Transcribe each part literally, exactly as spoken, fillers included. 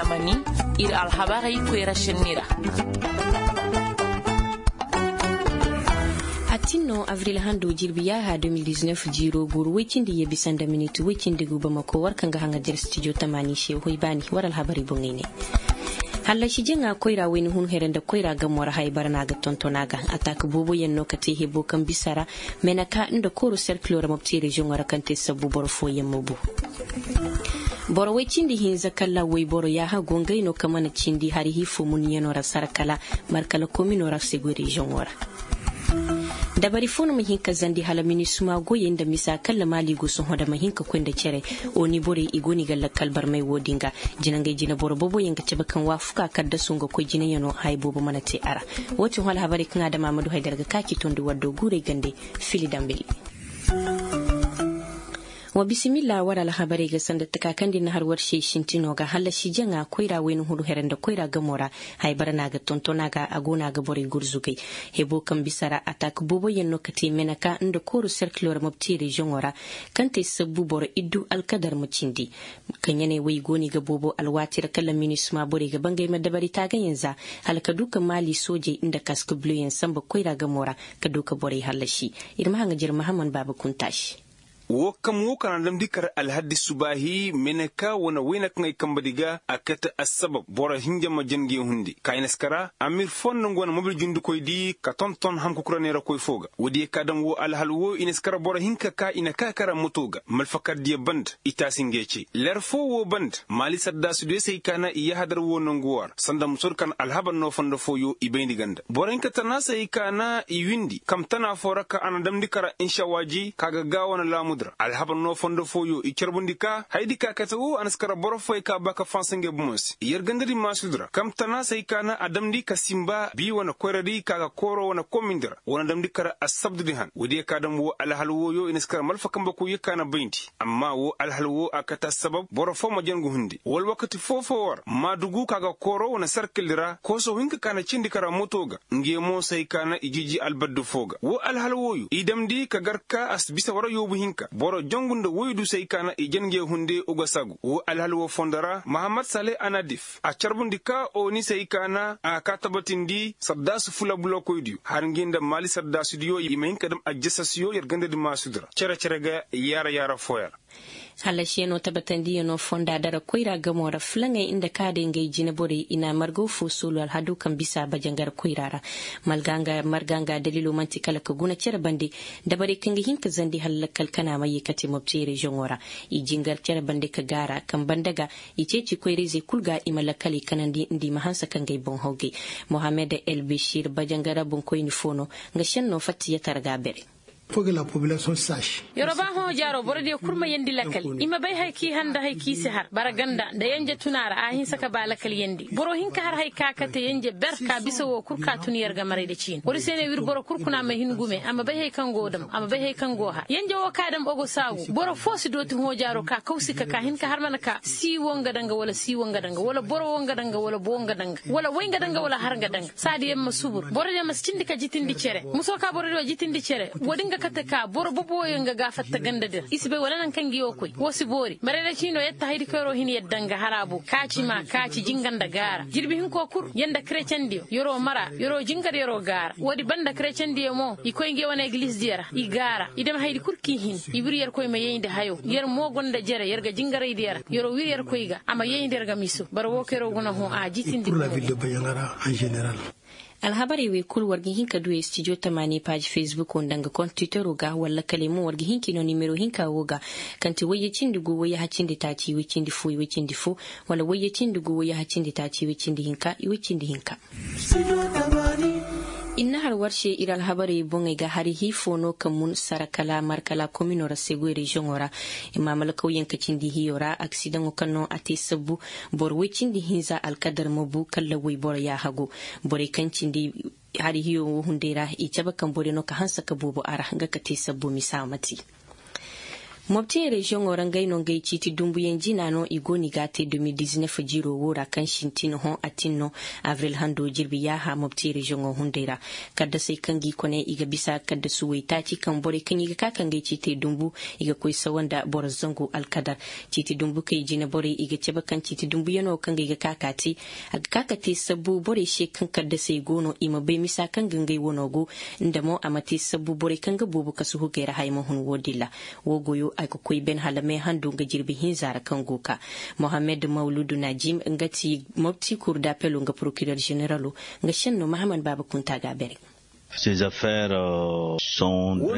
Mani, ir alhabarey koyra šenni ra. A tin no avril hando jirbi yaaha deux mille dix-neuf jiiro guuru woy cindi yee bisa nda minit woy cindi gu bamako war kaŋ ga haŋa dir stijo tamaani se hoy baani war alhabarey boŋey ne. Hallasi jaŋa koyra wayna hun here nda koyra gamo ra haya bara no a ga tonton a ga ataak booboyaŋ no ka te hebo kaŋ bisa ra, meneka nda kooru serkilo ra mopti reziyoŋo ra kaŋ te sabbu boro fooyaŋ ma bu. Boro woy cindi hinza kala woyboro yaaha go ngey no ka mana cindi hari hiifo muniyano ra sara kala markala komino ra se goy reziyoŋo ra. Dabari fo no ma hin ka zandi hala minisuma goyey nda misa kala maali go sohõ da ma hin ka koy nda cere. Oni borey i go no i ga lakkal barmay wo-din ga. Jinangey jineboro booboyaŋ ga cabe kaŋ waafuka kaddasu nga koy jinayano haya boobo mana te a ra. Wo-din hala habarey kaŋ a dam a ma du haydara ga ka ci tondi waddo guurey gande. Fili dambili. Wa bisimilla war alhabarey ga sanda taka kaŋ da ir na har war se sintino ga hallasi jaŋa koyra wayna huru here nda koyra gamo ra. Haya bara no a ga tonton a ga a go no a ga borey gurzugay. Hebo kaŋ bisa ra ataak booboyaŋ no ka te meneka nda kooru serkilo ra mopti reziyoŋo ra. Kaŋ te sabbu boro iddu alkadar ma cindi. Kaŋ ya ne wo i go no i ga boobo alwaati ra kala minisuma borey ga bangay ma dabari taagayaŋ za hala ka du ka maali soojey nda kask buloyaŋ samba koyra gamo ra ka du ka borey hallasi. Ir ma haŋa jir mahaman baaba kunta se. Wo kam wo kaŋ a na damndi kar alhaddi subaahi meneka wane wayna kaŋ ay kambadi ga a kate assabab boro hinja ma jange hundi ka i na si kara amir fo nda nga wane mobil jundikoydi ka tonton hamkukura neerakoy fo ga woodiyo ka dam wo alhal wo i na si kara boro hinka ka i na ka kara moto ga malfakardiyo banda i taasi ngey cey ler fo wo banda maali sardaasudiyo se hay ka na i yahadar wo nangu wo ra sanda musoodi kaŋ alhabar no fondo fooyo i bayndi ganda boro hinka tana se hay ka na i windi kam tana fo ra ka a na damndi kara nshawaaji ka ga gaawo na laamudi ra alhabar no fondo fooyo i carbundi ka hayadi ka kate wo a na si kara boro fooyo ka ba ka fansa ngey bomo se yer gandadi maasudi ra kam tana se hay ka na a damndi ka simba bii wane koyradi ka ga kooro wane komindi ra wane damndi kara assabdudi han woodiyo ka dam wo alhal wooyo i na si kara malfa kambakoyyo ka na bayndi amma wo alhal wo a kate assabab boro foo ma jangu hundi wala wakati foo-foo war maadugu ka ga kooro wane sarkildi ra kooso hinka ka na cindi kara moto ga ngey mo se hay ka na i jiiji albaddu foo ga wo alhal wooyo i damndi ka gar ka a si bisa war yoobu hinka boro jangu nda woydu se hay ka na i jan ngey hunde ugasagu wo alhal woo fondo ra mahammad sale anadif a carbundi ka oni se hay ka na a ka tabatindi sardaasu fula bulokoydiyo har ngey nda maali sardaasudiyo i ma hin ka dam ajjasasiyo yer gandadi maasudi ra cere-cere ga yaara-yaara fooyaŋ ra. Hallasiyanoo tabatandiyanoo fonda dara koyra gamoo ra fulaŋey nda ka day ngey jineborey i na margaw foo soolu alhadoo kaŋ bisa bajangara koyra ra. Marga nga daliloo man'ti kala ka guna cere bande dabarey kaŋ ga hin ka zandi hala lakkal kana ma yee ka te mopti reziyoŋoo ra. I jingar cere bande ka gaara kaŋ banda ga i ceeci koyra-izey kul ga i ma lakkaley kanandi nda i ma hanse ka ngey boŋ hawgay. Mohammed elbešir bajangara boŋkoyni foo no. Nga šennoo fatta yatar ga a bere. Yeroo ba hõ jaaroo borodiyo kul ma yeendi lakal i ma bay haya k'i har nda haya k'i si har bara ganda nda yenje tun a ra a hinsa ka ba lakal yeendi boro hinka har haya ka kate yenje ber ka bisa woo kul ka tun yer ga maray nda ciini woodi se ne wir boro kul kuna ma hin gume a ma bay haya kaŋ go dam a ma bay haya kaŋ go har yenje woo ka dam ogo saagu boro foo si dooti hõ jaaroo ka kawsi ka ka hin ka har mana ka sii woo nga danga wala sii woo nga danga wala boro woo nga danga wala boo nga danga wala way nga danga wala har nga danga saadi yaŋ ma subur borodiyo ma si cindi ka jitindi cere musoo ka borodiyo jitindi cere woodi nga kate ka boro boboyo nga ga fatta gandadi ra i si bay wala nangu kaŋ ngi woo koy woo si boori marayra ciinoo yetta haydi kaŋ yeroo hin yadda nga hara boo kaaci maa kaaci jinga nda gaara jirbi hinkoo kul yer nda kerecendiyo yeroo mara yeroo jingar yeroo gaara woodi banda kerecendiyo mo i koy ngi wane egilizdiyo ra i gaara i dam haydi kul k'i hin i wir yerkoy ma yayndi hayo yer mo gonda jere yer ga jingaraydiyo ra yeroo wir yerkoy ga a ma yayndi yer ga miso bara woo kaŋ yeroo guna hõ a jitindi. Alhabarey wey kul war ga hin ka duu studio tamaani paaji fesbukoo nda nga kontiteroo ga walla kala ay mo war ga hin k'i noo nimero hinka woo ga kaŋ ti wayye cindi guu wayye hacindi taaci iway cindi foo iway cindi foo walla wayye cindi guu wayye hacindi taaci iway cindi hinka iway cindi hinka. Ir na har war se ir alhabarey boŋey ga hari hii foo no ka mun sara kala markala kominoo ra segoy reziyoŋoo ra. Imaamalkawyaŋ ka cindi hiyoo ra aksidaŋo kaŋ no a te sabbu boro woy cindi hinza alkadar ma bu kala woy boro yaaha go. Borey kaŋ cindi hari hiyoo wo hunday ra i cabe kaŋ borey no ka hanse ka boobo a ra nga ka te sabbu misa ma te. Mopti reziyoŋo ra ngey no ngey ciiti dumbuyaŋ jina no i go no i ga a te de mil dizinef jiiro wo ra kaŋ sintin hõ a tin no. Abril hando jirbi yaaha mopti reziyoŋo hunday ra. Kaddasey kaŋ ga i kone i ga bisa kaddasu waytaaci kaŋ borey kaŋ i ga ka ka ngey ciitey dumbu, i ga koy sawa nda boro zangu alkadar. Ciiti dumbu kay jine borey i ga cabe kaŋ ciiti dumbuyaŋo kaŋ ga i ga ka ka te, a ga ka ka te sabbu borey se kaŋ kaddasey go no i ma bay misa kaŋ ga ngey wano go. Nda mo a ma te sabbu borey kaŋ ga boobo kasu hugey ra haya ma hun wo- din ra. Wo goyo a ga koy ben hala meehandu nga jirbi hinza ra kaŋ go ka. Mohammed mawludu najim nga ti mopti kur dapelo nga prokirer zeneralo. Nga senno mahaman baaba kunta ga a bere. Wo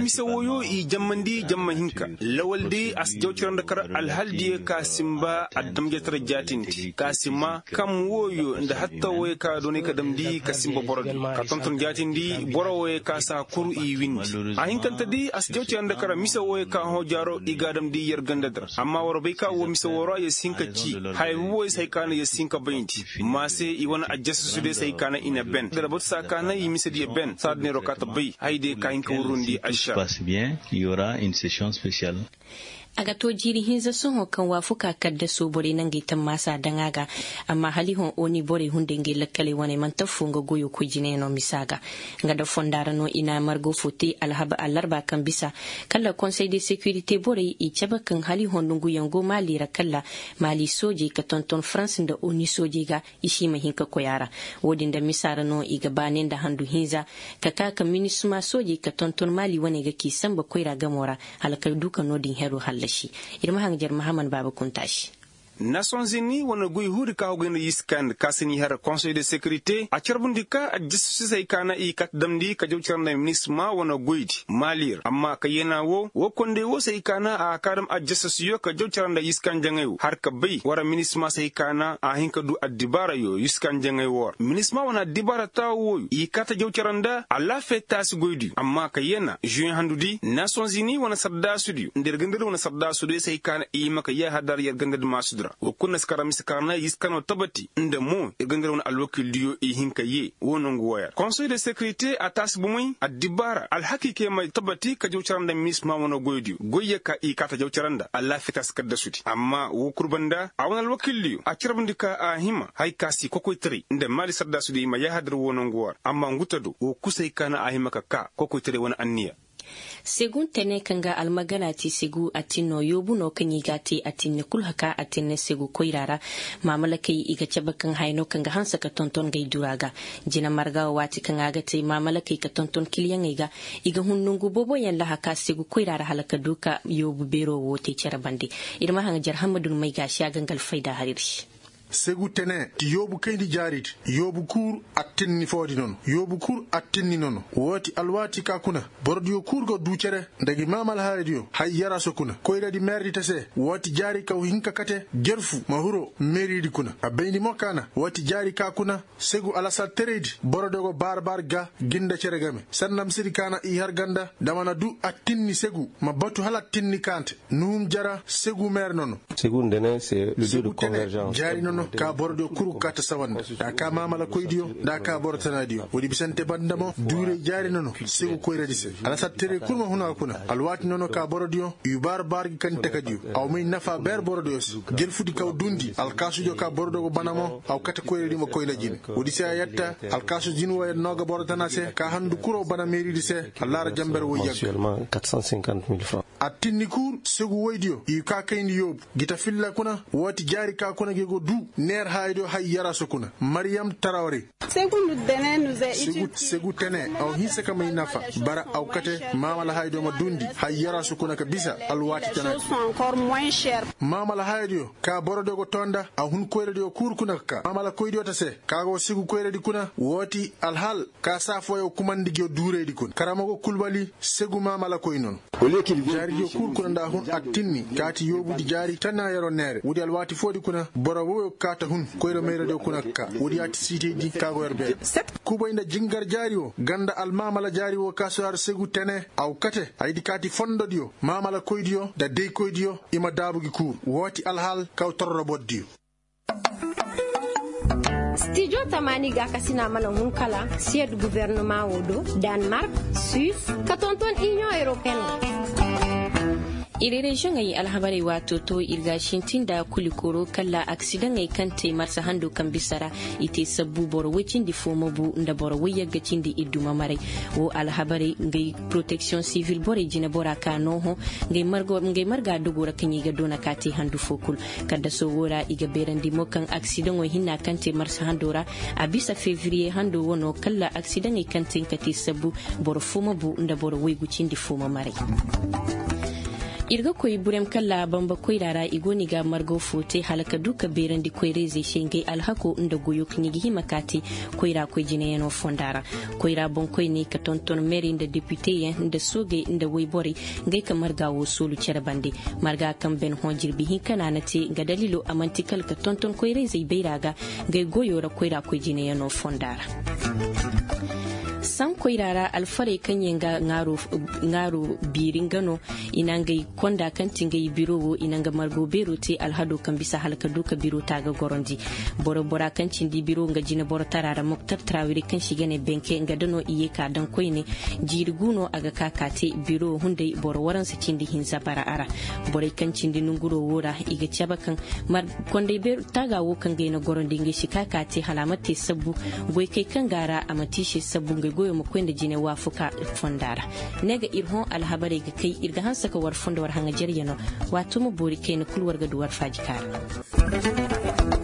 mise woyo i jammandi jamma hinka. Lawal day a si jawcira nda kar alhal diyo ka simba adamjatara jaatindi ka sima kam woyo nda hatta woyo ka donay ka damndi ka simba boro di ka tonton jaatindi boro woyo ka saa kuru i windi. A hinkante day a si jawcira nda kar mise woyo ka hõ jaaro i ga a damndi yer ganda di ra amma war bay ka wo mise woo ra yer si hin ka cii. Haya buboy se hay ka na yer si hin ka bayndi. Ma se i wane ajjasusu day se hay ka na i na ben da ra batu saa ka na i mise diyo ben saa da neeroo ka ta bay hay day ka hin ka wurrundi ašar. A ga to jiiri hinza sohõ kaŋ waafuka kaddaso borey na ngey tammaasa daŋ a ga. Amma hala i hõ oni borey hunday ngey lakkaley wane manti affoo nga goyo koy jinayaŋo misa ga. Nga nda fonda ra no i na margo fo te allarba kaŋ bisa kala konsey de sekirite borey i cabe kaŋ hala i hõ nonguyaŋ go maali ra kala maali soojey ka tonton farans nda oni soojey ga. I si ma hin ka koy a ra. Wo- din nda misa ra no i ga baane nda handu hinza ka ka ka minisma soojey ka tonton maali wane ga k'i sanba koyra gamo ra. Hala ka du ka no- din hero hallasi. Ir ma haŋ jer mahaman baaba kunta se. Nasonzini wane goy huudi ka hogay nda yiskandi ka si ni har konsey de sekirite a carbundi ka aljastusisey ka na i kat damndi ka jaw cara nda minisma wane goydi maali ra amma ka yeena wo wo kondey wo se i ka na a ka dam aljastusiyo ka jaw cara nda yiskanjaŋey wo har ka bay wara minisma se i ka na a hin ka du addibaarayo yiskanjaŋey wo ra minisma wane addibaara taawo wooyo i kaa ta jaw cara nda alaafey taasi goydiyo amma ka yeena žuweŋ handudi nasonzini wane sardaasudiyo nda yer gandadi wane sardaasudiyo se i ka na i hima ka yee hadar yer gandadi maasudi ra woo kul na si kar ra mise ka ra na yiskano tabati nda mo yer gandadi wane alwakiildiyo i hin ka yee woo nongu wooyo ra konsey de sekirite a taasi bomey addibaara alhakiikey ma tabati ka jaw cara nda minisma wane goydiyo goyyo ka i kaa ta jaw cara nda alaafiya taasi kaddasudi amma woo kul banda a wane alwakiildiyo a carbundi ka a hima haya ka si kokoytaray nda maali sardaasudi i ma yaahadir woo nongu woo ra amma ngu ta do woo kul se hay ka na a hima ka kaa kokoytaray wane anniya. Segu tene kaŋ ga almagana te segu atinno yoobu no kaŋ i ga a te atinne kul haka atinne segu koyra ra. Maamalakey i ga cabe kaŋ haya no kaŋ ga hanse ka tonton ngey dura ga. Jina marga wo waati kaŋ a ga te maamalakey ka tonton kiliyaŋey ga. I ga hun nongu booboyaŋ lahaka segu koyra ra hala ka du ka yoobu beero wo te cere bande. Ir ma haŋ jar hammadu numay ga a si a ga nga alfayda har ir se. Segu tene ti yoobu kayndi jaaridi. Yoobu kuur attinni foodi nono yoobu kuur attinni nono. Woo ti alwaati ka kuna borodiyo kuur go duu cere nda gi maamala haradiyo hay yaraso kuna koyradi meerdi ta se. Woo ti jaari ka wa hin ka kate jerfu ma hiro meeridi kuna a bayndi mo ka na woo ti jaari ka kuna. Segu alasarteraydi borodiyo go baar-baar ga ginda cere game sanda misedi ka na i har ganda nda mana du attinni segu ma batu hala attinni kaante nuhum jara segu meer nono. Segu tene jaari nono ka borodiyo kul ga kaa ta sawanda nda a kaa maamalakoydiyo nda a kaa boro tanaadiyo woodi bisante banda mo duuray jaari nono. Segu koyradi se alasarteray kul ma hun a kuna alwaati nono ka borodiyo i baar-baar ga kani takadiyo. A wa may nafa beer borodiyo se jelfudi ka wa duundi alkaasudiyo ka borodiyo go bana mo a wa kate koyradi ma koy na jine. Woodi se a yatta alkaasu jin wooyaŋ no ga boro tana se ka handu kuro bana meeridi se. Allaara jamber woy yagga. Attinni kuur segu woydiyo i kaa kayndi yoobu gi ta filla kuna. Woo ti jaari ka kuna gi go duu neer haayadiyo hay yaraso kuna maryam tarawre. Segu tene a wa hinsa ka may nafa bara a wa kate maamala haayadiyo ma duundi hay yaraso kuna ka bisa alwaati tanaadiyo. Maamala haayadiyo ka borodiyo go too nda a hun koyradiyo kuur kuna ka kaa maamala koydiyo ta se ka go segu koyradi kuna woo ti alhal ka saa fooyaŋ kumandi gi duuraydi kuna karamago kulbali segu maamala koy nono. Jaaridiyo kul kuna nda a hun attinni kaati yoobudi jaari tanaayaroo neere woodi alwaati foodi kuna boro wooyo kaata hun koyra mayradiyo kuna ka kaa woodi yaati siitaydi kaagoyar beeri. Kubay nda jingar jaari woo ganda almaamala jaari woo kaasuyaar segu tene a wa kate haydi kaati fondodiyo maamala koydiyo nda daykoydiyo i ma daabu gi kul woo ti alhal kaw torrobordiyo. Stijo tamaani gaakasina mana hun kala siyed gubernumaa woo do, danmark, suis, ka tonton iniyoŋ europeen ra. Ir reziyoŋey alhabarey waato to ir ga a sintin nda kulikoro kala aksidaŋey kaŋ te marsa hando kaŋ bisa ra, i te sabbu boro woy cindi fo ma bu nda boro woy yagga cindi idduma maray. Wo alhabarey ngey poroteksiyoŋ sivil borey jinebora ka nooho ngey marga dogo ra kaŋ i ga doona ka te handu fo kul. Kaddaso wo ra i ga beerandi mo kaŋ aksidaŋo hinna kaŋ te marsa hando ra, a bisa fevriye hando wano kala aksidaŋey kaŋ te nga te sabbu boro fo ma bu nda boro waygu cindi fo ma maray. Ir ga koy burem kala bamba koyra ra i go no i ga margo fo te hala ka du ka beerandi koyra-izey se ngey alhako nda goyo kaŋ i ga hima ka te koyra koy jinayaŋo fonda ra. Koyra boŋkoyney ka tonton meerey nda depiteyaŋ nda soogey nda woyborey ngey ka marga wo soolu cere bande. Marga kaŋ ben hõ jirbi hinka no a na te nga daliilo a man'ti kala ka tonton koyra-izey bayra ga ngey goyo ra koyra koy jinayaŋo fonda ra. Saŋ koyra ra alfarey kaŋ yaŋ ga ŋaaro biiri nga no i na ngey konda kaŋ ti ngey biro wo i na nga margo beero te alhado kaŋ bisa hala ka du ka biro taaga gorondi. Boro bora kaŋ cindi biro nga jineboro tara ra moktar tarawiri kaŋ se i ga ne benke nga da no i ye ka daŋ koyne. Jiiri gu no a ga ka ka te biro hunday boro waransa cindi hinza bara a ra. Borey kaŋ cindi nonguro wo ra i ga cabe kaŋ kondey beero taaga wo kaŋ ga ay na gorondi ngey si ka ka te hala a ma te sabbu goykey kaŋ ga a ra a ma te i se sabbu ngey goyo ma koy nda jine waafuka fonda ra. Ne ga ir hõ alhabarey ga kay ir ga hanse ka war fondo war haŋajaryanoo. Waato ma boori kayna kul war ga du war faaji ka ra.